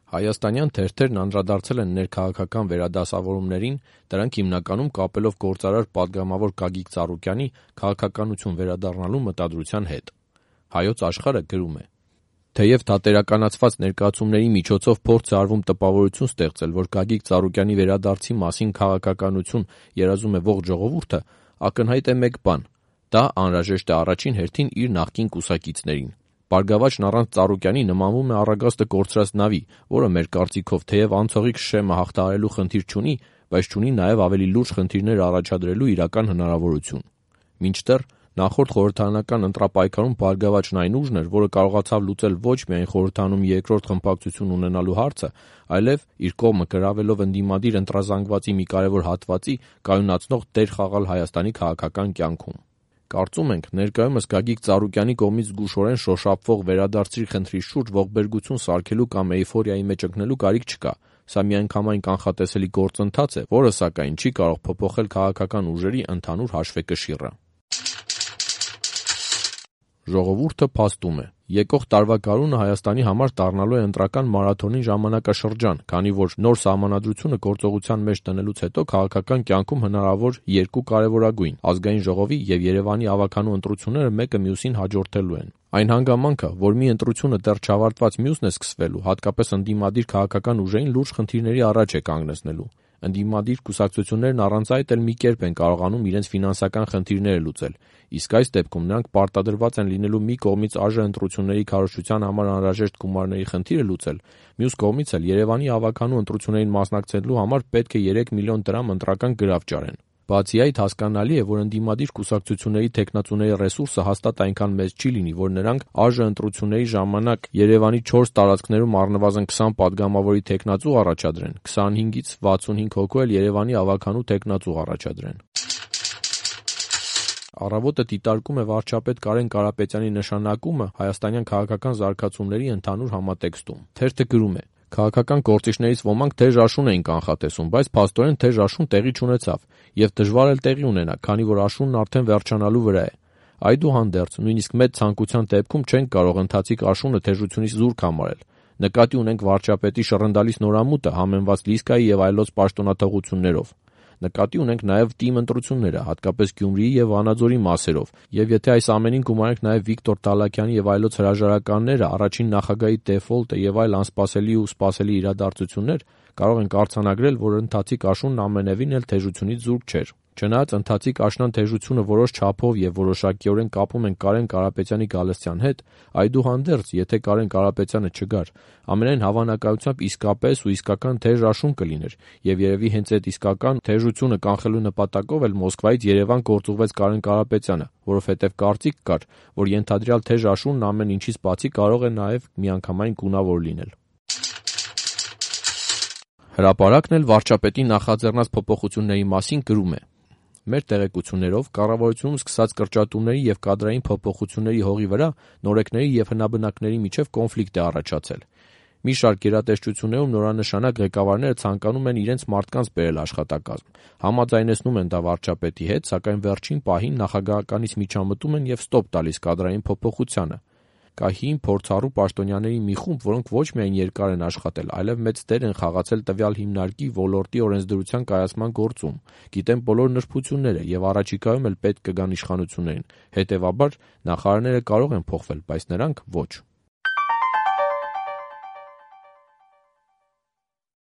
Հայաստանյան թերթերն անդրադարձել են ներքաղաքական վերադասավորումներին, դրանք հիմնականում կապելով գործարար պատգամավոր Գագիկ Ծառուկյանի քաղաքականություն վերադառնալու մտադրության հետ։ Հայոց Աշխարհը գրում է. թեև թատերականացված ներկայացումների միջոցով փորձ է արվում տպավորություն ստեղծել, որ Գագիկ Ծառուկյանի վերադարձի մասին քաղաքականություն երազում է ողջ ժողովուրդը, ակնհայտ է մեկ բան. դա անհրաժեշտ է առաջին հերթին իր նախկին կուսակիցներին։ Բարգավաճն առանց Ծառուկյանի նմանվում է առագաստը կորցրած նավի, որը մեր կարծիքով թեև անցողիկ շեմը հաղթահարելու խնդիր չունի, բայց չունի նաև ավելի լուրջ խնդիրներ առաջադրելու իրական հնարավորություն։ Մինչդեռ նախորդ խորհրդարանական ընտրապայքարում Բարգավաճն այն ուժն էր, որը կարողացավ լուծել ոչ միայն խորհրդանում երկրորդ խմբակցություն ունենալու հարցը, այլև իր կողմը գրավելով ընդդիմադիր ընտրազանգվածի մի կարևոր հատվածի կայունացնող դեր խաղալ Հայաստանի քաղաքական կյանքում։ Կարծում ենք, ներկայումս Գագիկ Ծառուկյանի կողմից զգուշորեն շոշափվող վերադարձի խնդրի շուրջ ողբերգություն սարքելու կամ էյֆորիայի մեջ ընկնելու կարիք չկա։ Սա միանգամայն կանխատեսելի գործընթաց է, որը սակայն չի կարող փոփոխել քաղաքական ուժերի ընդհանուր հաշվեկշիռը։ Ժողովուրդը փաստում է. եկող տարվա գարունը Հայաստանի համար դառնալու է ընտրական մարաթոնի ժամանակաշրջան, քանի որ նոր սահմանադրությունը գործողության մեջ դնելուց հետո քաղաքական կյանքում հնարավոր երկու կարևորագույն՝ Ազգային ժողովի եւ Երևանի ավականու ընտրությունները մեկը մյուսին հաջորդելու են։ Այն հանգամանքը, որ մի ընտրությունը դեռ չավարտված մյուսն է սկսվելու, հատկապես ընդդիմադիր քաղաքական ուժերին լուրջ խնդիրների առաջ է կանգնեցնելու։ Ընդդիմադիր կուսակցություններն առանց այդ էլ մի կերպ են կարողանում իրենց ֆինանսական խնդիրները լուծել, իսկ այս դեպքում նրանք պարտադրված են լինելու մի կողմից ԱԺ ընտրությունների քարոզչության համար անհրաժեշտ գումարների խնդիրը լուծել, մյուս կողմից էլ Երևանի ավականու ընտրություններին մասնակցելու համար պետք է 3 միլիոն դրամ ընտրական գրավ ճարեն։ Բացի այդ, հասկանալի է, որ ընդդիմադիր կուսակցությունների թեկնածուների ռեսուրսը հաստատ այնքան մեծ չի լինի, որ նրանք ԱԺ ընտրությունների ժամանակ Երևանի 4 տարածքներում առնվազն 20 պատգամավորի թեկնածու առաջադրեն, 25-ից 65 հոգու էլ Երևանի ավականու թեկնածու առաջադրեն։ Առավոտը դիտարկում է վարչապետ Կարեն Կարապետյանի նշանակումը հայաստանյան քաղաքական զարգացումների ընդհանուր համատեքստում։ Թերթը գրում է. քաղաքական գործիչներից ոմանք թեժ աշուն էին կանխատեսում, բայց փաստորեն թեժ աշուն տեղի չունեցավ, եւ դժվար էլ տեղի ունենա, քանի որ աշունն արդեն վերջանալու վրա է։ Այդուհանդերձ, նույնիսկ մեծ ցանկության դեպքում չենք կարող ընթացիկ աշունը թեժությունից զուրկ համարել։ Նկատի ունենք վարչապետի շռնդալից նորամուտը համեմված Լիսկայի եւ այլոց պաշտոնաթողություններով։ Նկատի ունենք նաև թիմ ընտրությունները, հատկապես Գյումրիի եւ Վանաձորի մասերով, եւ եթե այս ամենին գումարենք նաև Վիկտոր Դալակյանի եւ այլոց հրաժարականները, առաջին նախագահի դեֆոլտը եւ այլ անսպասելի ու սպասելի իրադարձություններ, կարող ենք արձանագրել, որ ընթացիկ աշունն ամենևին էլ թեժությունից զուրկ չէր։ Չնայած ընթացիկ աշնան թեժությունը որոշ չափով եւ որոշակիորեն կապում են Կարեն Կարապետյանի գալստյան հետ, այդուհանդերձ, եթե Կարեն Կարապետյանը չգար, ամենայն հավանականությամբ իսկապես ու իսկական թեժ աշուն կլիներ, եւ երևի հենց այդ իսկական թեժությունը կանխելու նպատակով էլ Մոսկվայից Երևան գործուղվեց Կարեն Կարապետյանը, որովհետեւ կարծիք կար, որ ենթադրյալ թեժ աշունն ամեն ինչից բացի կարող է նաեւ միանգամայն գունավոր լինել։ Հրապարակն էլ վարչապետի նախաձեռնած փոփոխությունների մասին գրում է. Մեր տեղեկություններով կառավարությունում սկսած կրճատումների եւ կադրային փոփոխությունների հողի վրա նորեկների եւ հնաբնակների միջև կոնֆլիկտ է առաջացել։ Մի շարք գերատեսչություններում նորանշանակ ղեկավարները ցանկանում են իրենց մարդկանց բերել աշխատակազմ, համաձայնեցնում են դա վարչապետի հետ, սակայն վերջին պահին նախագահականից միջամտում են եւ ստոպ տալիս կադրային փոփոխությանը։ Կա հին փորձառու պաշտոնյաների մի խումբ, որոնք ոչ միայն երկար են աշխատել, այլև մեծ դեր են խաղացել տվյալ հիմնարկի ոլորտի օրենսդրության կայացման գործում, գիտեն բոլոր նրբությունները եւ առաջիկայում էլ պետք կգան իշխանություններին։ Հետեւաբար նախարարները կարող են փոխվել, բայց նրանք ոչ։